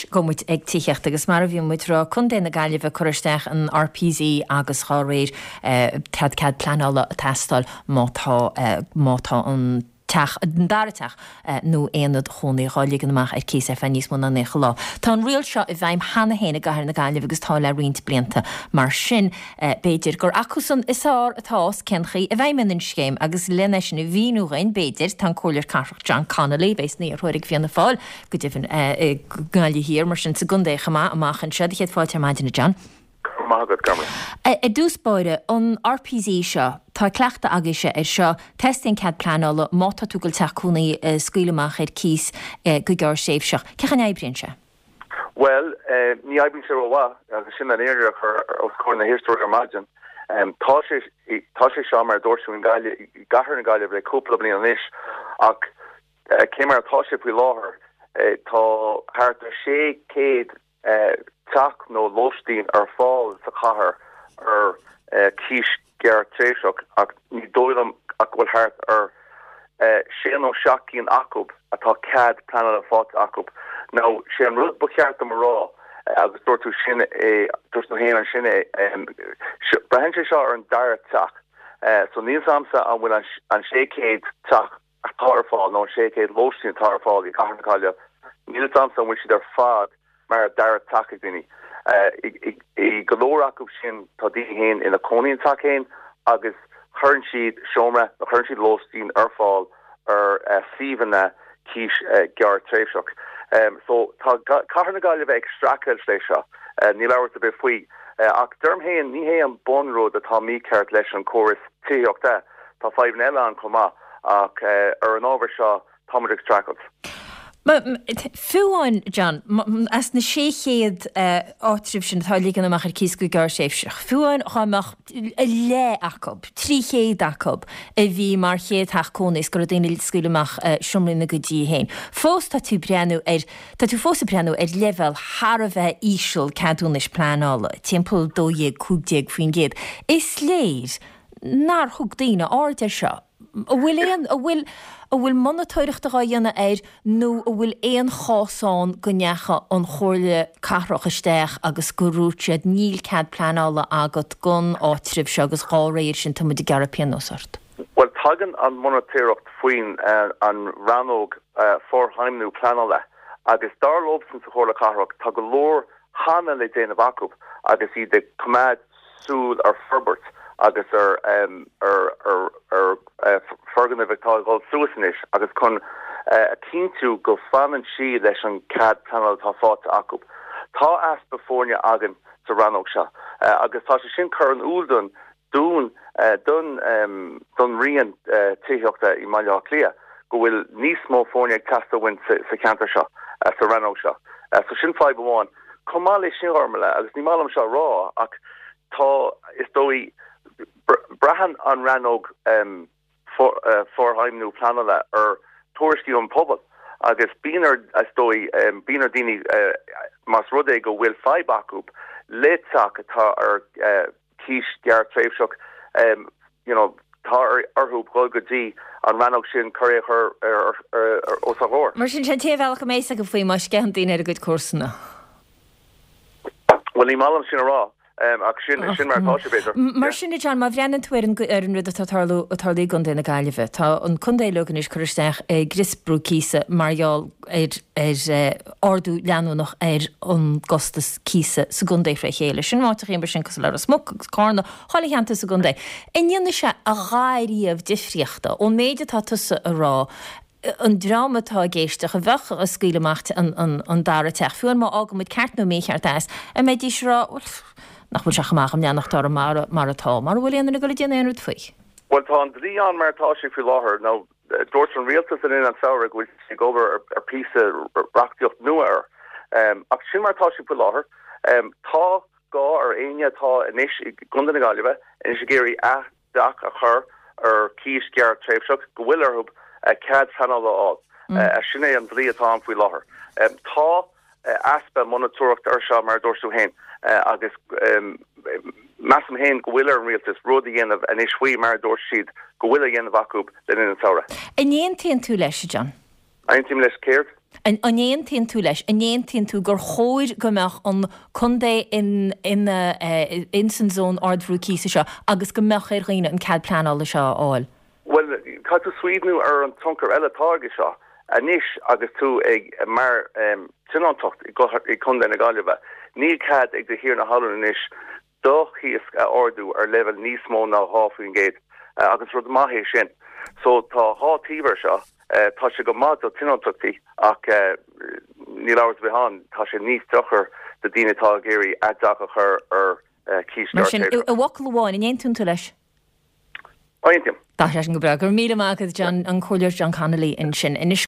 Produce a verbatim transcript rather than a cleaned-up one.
Gabhfaidh muid ag tithíocht agus mar a bhí muid ag rá, Contae na Gaillimhe ag cur isteach an RPZ agus dhá réir cead cead pleanála ag teastáil má tá má tá an teach, an dara teach nó aonad chónaí dhá ligean amach ar cíos ar feadh níos mó ná naocha lá. Tá an riail seo i bhfeidhm cheana féin i gcathair na Gaillimhe agus tá le roinnt blianta. Mar sin, b'fhéidir gur acusan is fearr atá fhios cén chaoi a bhfeidhmíonn an scéim agus lena sin a mhíniú dhuinn, b'fhéidir, tá an Comhairleoir Cathrach John Connolly, a bheas ina iarrthóir ag Fianna Fáil, go deimhin, i nGaillimh Thiar, mar sin, sa gcontae chomh maith, amach anseo. Do chéad fáilte ar maidin, a John. Go raibh maith agat, Gormlaith. I dtús báire, an RPZ seo, tá cleachtadh agaibhse air seo, teastaíonn cead pleanála má tá tú ag dul teach cónaí a scaoileadh amach ar cíos go gearrthréimhseach. Cén chaoi a n-oibríonn sé? Bhuel, ní oibríonn sé rómhaith, agus sin an fhírinne a chur os comhair na héisteoirí ar maidin. Tá sé, tá sé seo mar a dúirt tú i nGaillimh, i gcathair na Gaillimhe le cúpla bliain anois, ach cé mar atá sé faoi láthair, tá thart ar sé chéad teach nó lóistín ar fáil sa chathair ar cíos gearrthréimhseach ach ní dóigh liom ach go bhfuil thart ar sé nó seacht gcinn acu atá cead pleanála faighte acu. Now, sé an rud ba cheart dom a rá, agus dúirt tú sin é, dúirt tú féin ansin é, braitheann sé seo ar an dara teach. So níl 's a'msa an bhfuil an sé chéad teach atá ar fáil nó an sé chéad lóistín atá ar fáil i gcathair na Gaillimhe, níl 'fhios a'msa an bhfuil siad ar fad mar dara teach ag daoine. I go leor acu sin tá daoine féin ina cónaí ina dteach féin agus cuireann siad seomra nó cuireann siad lóistín ar fáil ar suíomhanna cíos gearrthréimhseach. So tá cathair na Gaillimhe ag streachailt leis seo, níl amhras ar bith faoi. Ach deirim féin, ní hé an bunrud atá mícheart leis an córas tithíochta, tá fadhbanna eile ann chomh maith ach ar an ábhar seo táimid ag streachailt. Fiú amháin, John, as na sé chéad áitreabh sin atá á ligean amach ar cíos go gearrthréimhseach, fiú amháin dhá mbeadh a leath acu, trí chéad acu, a bhí mar chéad theach cónaí is go raibh daoine ag scaoileadh amach seomraí ina gcuid tithe féin, fós tá tú ag breathnú ar, tá tú fós ag breathnú ar leibhéal thar a bheith íseal ceadúnais pleanála, timpeall dó dhéag, cúig déag faoin gcéad. Is léir nár thug daoine aird air seo. An bhfuil aon, an bhfuil, an bhfuil monatóireacht dhá dhéanamh air nó an bhfuil aon chás ann go ndeachaigh an Chomhairle Cathrach isteach agus gur dhúirt siad níl cead pleanála agat don áitreabh seo agus dhá réir sin tá muid ag gearradh pionós ort? Bhuel, tagann an mhonatóireacht faoin an rannóg forfheidhmiú pleanála agus dar leobsan sa Chomhairle Cathrach tá go leor cheana le déanamh acu agus iad ag coimeád súil ar forbairt agus ar ar foirgnimh atá ag dul suas anois agus chun a chinntiú go bhfanann siad leis an cead pleanála atá faighte acu. Tá easpa foirne againn sa rannóg seo agus tá sé sin curtha in iúl don dún don don Roinn Tithíochta i mBaile Átha Cliath go bhfuil níos mó foirne ag teastáil uainn sa cheantar seo, sa rannóg seo. So sin fadhb amháin. Chomh maith leis sin, Gormlaith, agus ní maith liom seo a rá ach tá, is dóigh, braitheann an rannóg forfheidhmiú pleanála ar tuairiscí ón pobal agus bíonn ar, is dóigh, bíonn ar daoine más rud é go bhfuil fadhb acu le teach atá ar cíos gearrthréimhseach, you know, tá orthu dul go dtí an rannóg sin chun é a chur os a gcomhair. Mar sin, sé an t-aon bhealach a mbeidh fhios acu faoi má sceitheann daoine ar a gcuid comharsana. Bhuel, ní maith liom sin a rá, ach sin, sin mar atá sé, b'fhéidir. Mar sin, a John, má bhreathnaíonn tú ar an, ar an rud atá ag tarlú, ag tarlú i gContae na Gaillimhe, tá an contae uilig anois curtha isteach i gcrios brú cíosa mar gheall ar, ar ardú leanúnach ar an gcostas cíosa sa gcontae fré chéile. Sin áiteachaí mar sin cosúil le Ros Muc agus Carna, chuile cheantar sa gcontae. An ndéanfaidh sé a dhath riamh difríochta ón méid atá tusa a rá, an dream atá ag éisteacht a bheadh ag scaoileadh amach an dara teach, fiú amháin má fhágann muid ceart nó mícheart as, an mbeidís ag rá, bhuel, nach bhfuil sé chomh maith dhom leanacht orm mar, mar atá, mara bhfuil aon duine ag dul ag déanamh aon rud faoi. Bhuel, tá an dlí ann mar atá sé faoi láthair, nó dúirt an rialtas le linn an tsamhraidh go bhfuil siad ag obair ar phíosa reachtaíocht nua air. Ach sin mar atá sé faoi láthair. Tá gá ar éinne atá anois i gContae na Gaillimhe anois ag iarraidh a dteach a chur ar cíos gearrthréimhseach go bhfuil orthu cead pleanála a fháil. Sin é an dlí atá ann faoi láthair. Tá easpa monatóireachta air seo, mar a dúirt tú féin, agus measaim féin go bhfuil ar an rialtas rud a dhéanamh anois faoi, mar a dúirt siad go bhfuil a dhéanamh acu le linn an tsamhraidh. An aontaíonn tú leis, a John? Aontaím leis céard? An aontaíonn tú leis? An aontaíonn tú gur chóir go mbeadh an contae in ina ins an zón ardbhrú cíosa seo agus go mbeadh ar dhaoine an cead pleanála seo a fháil? Bhuel, caithfidh tú smaoineamh ar an tionchar eile atá aige seo anois agus tú ag mar tionóntacht i gContae na Gaillimhe. Níl cead ag do thiarna talún anois do chíos a ardú ar leibhéal níos mó ná dhá faoin gcéad agus rud maith é sin. So tá dhá taobh air seo. Tá sé go maith do tionóntachtaí ach níl amhras ar bith ann, tá sé níos dochar do daoine atá ag iarraidh a dteach a chur ar cíos Mar sin, i bhfocal amháin, an aontaíonn tú leis? Aontaím. Tá sé sin go breá. Go raibh míle maith agat, John, an Comhairleoir John Connolly ansin. Anois.